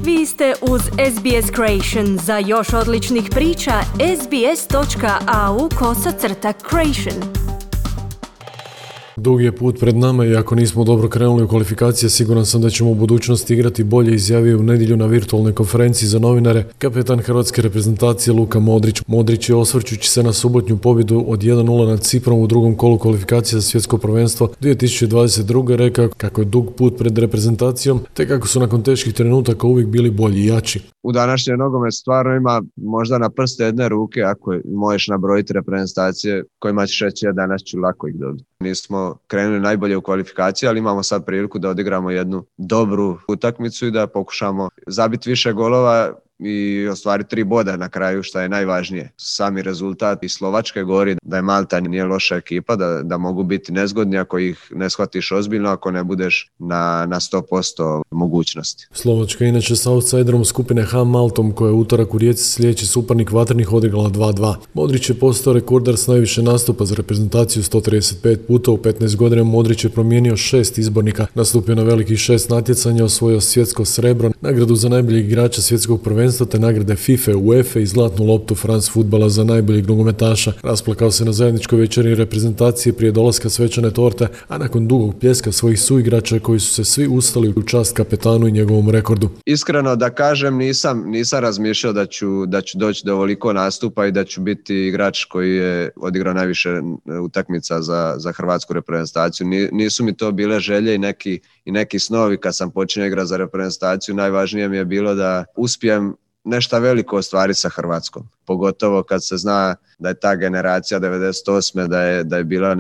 Vi ste uz SBS Creation. Za još odličnih priča, sbs.au/creation. Dug je put pred nama i ako nismo dobro krenuli u kvalifikacije, siguran sam da ćemo u budućnosti igrati bolje, izjavio u nedjelju na virtualnoj konferenciji za novinare kapetan hrvatske reprezentacije Luka Modrić. Modrić je, osvrćući se na subotnju pobjedu od 1-0 nad Ciprom u drugom kolu kvalifikacije za svjetsko prvenstvo 2022. rekao kako je dug put pred reprezentacijom, te kako su nakon teških trenutaka uvijek bili bolji i jači. U današnjem nogometu stvarno ima možda na prste jedne ruke, ako možeš nabrojiti reprezentacije kojima ćeš reći ja danas ću lako ih dobiti. Nismo krenuli najbolje u kvalifikaciji, ali imamo sad priliku da odigramo jednu dobru utakmicu i da pokušamo zabiti više golova i ostvariti 3 boda na kraju, što je najvažnije. Sami rezultat i Slovačke govori da je Malta nije loša ekipa, da mogu biti nezgodni ako ih ne shvatiš ozbiljno, ako ne budeš na 100% mogućnosti. Slovačka inače sa outsiderom skupine H Maltom, koja je utorak u Rijeci sljedeći suparnik Vatrenih odigrala 2-2. Modrić je postao rekordar s najviše nastupa za reprezentaciju 135 puta. U 15 godina Modrić je promijenio 6 izbornika, nastupio na velikih 6 natjecanja, osvojio svjetsko srebro, nagradu za najboljeg igrača svjetskog prvenstva te nagrade FIFA, UEFA i zlatnu loptu France Futbala za najboljeg nogometaša. Rasplakao se na zajedničkoj večeri reprezentacije prije dolaska svečane torte, a nakon dugog pljeska svojih suigrača koji su se svi ustali u čast kapetanu i njegovom rekordu. Iskreno da kažem, nisam razmišljao da ću doći do ovoliko nastupa i da ću biti igrač koji je odigrao najviše utakmica za hrvatsku reprezentaciju. Nisu mi to bile želje i neki snovi kad sam počinio igrati za reprezentaciju. Najvažnije mi je bilo da uspijem nešto veliko ostvariti sa Hrvatskom. Pogotovo kad se zna da je ta generacija 98. da je bila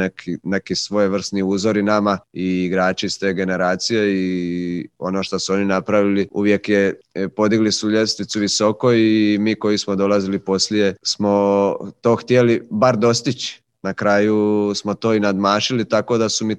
neki svojevrsni uzori nama i igrači iz te generacije i ono što su oni napravili uvijek je podigli su ljestvicu visoko i mi koji smo dolazili poslije smo to htjeli bar dostići. Na kraju smo to i nadmašili, tako da su mi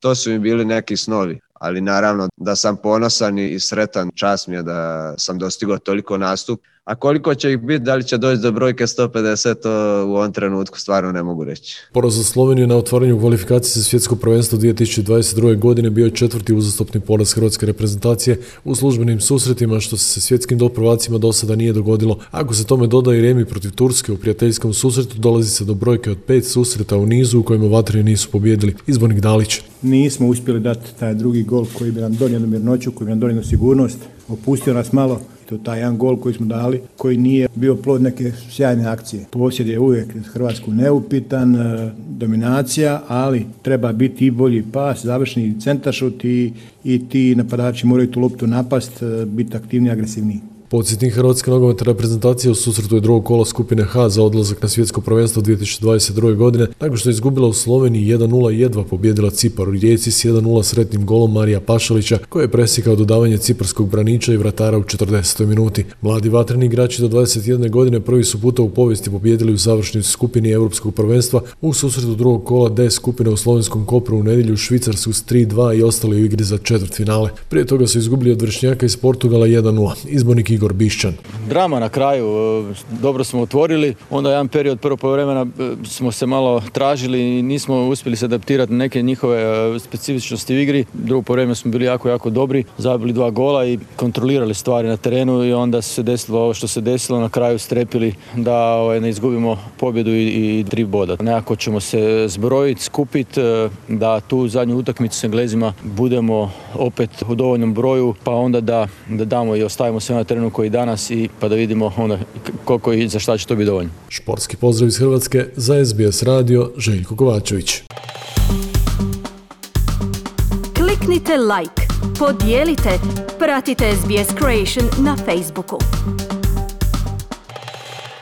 to su mi bili neki snovi. Ali naravno da sam ponosan i sretan, čast mi je da sam dostigao toliko nastup. A koliko će ih biti, da li će doći do brojke 150, to u ovom trenutku stvarno ne mogu reći. Poraz za Sloveniju na otvaranju kvalifikacije za svjetsko prvenstvo 2022. godine bio je 4. uzastopni poraz hrvatske reprezentacije u službenim susretima, što se svjetskim prvacima do sada nije dogodilo. Ako se tome doda i remi protiv Turske u prijateljskom susretu, dolazi se do brojke od 5 susreta u nizu u kojima Vatreni nisu pobijedili. Izbornik Dalić. Nismo uspjeli dati taj drugi gol koji bi nam donio mirnoću, koji bi nam donio sigurnost, opustio nas malo. To taj jedan gol koji smo dali, koji nije bio plod neke sjajne akcije. Posjed je uvijek Hrvatsku neupitan, dominacija, ali treba biti i bolji pas, završni centaršut i ti napadači moraju tu loptu napast, biti aktivniji, agresivniji. Podsjetnik hrvatske nogometne reprezentacije u susretu je drugog kola skupine H za odlazak na svjetsko prvenstvo 2022. godine, nakon što je izgubila u Sloveniji 1-0 i jedva pobijedila Cipar u Rijeci s 1-0 sretnim golom Marija Pašalića, koji je presjekao dodavanje ciparskog braniča i vratara u 40. minuti. Mladi vatreni igrači do 21 godine prvi su puta u povijesti pobijedili u završnoj skupini europskog prvenstva u susretu drugog kola D skupine u slovenskom Kopru u nedjelju Švicarsku s 3-2 i ostali u igri za četvrtfinale. Prije toga su izgubili od vršnjaka iz Portugala 1-0. Izbornik Igor Bišćan. Drama na kraju, dobro smo otvorili, onda jedan period prvo poluvremena smo se malo tražili i nismo uspjeli se adaptirati na neke njihove specifičnosti u igri. Drugo poluvreme smo bili jako dobri, zabili 2 gola i kontrolirali stvari na terenu i onda se desilo ovo što se desilo, na kraju strepili da ne izgubimo pobjedu i 3 boda. Nekako ćemo se zbrojiti, skupiti, da tu zadnju utakmicu s Englezima budemo opet u dovoljnom broju, pa onda da damo i ostavimo sve na terenu koji danas i pa da vidimo onda koliko i za šta će to biti dovoljno. Športski pozdrav iz Hrvatske za SBS radio, Željko Kovačević. Kliknite like, podijelite, pratite SBS Creation na Facebooku.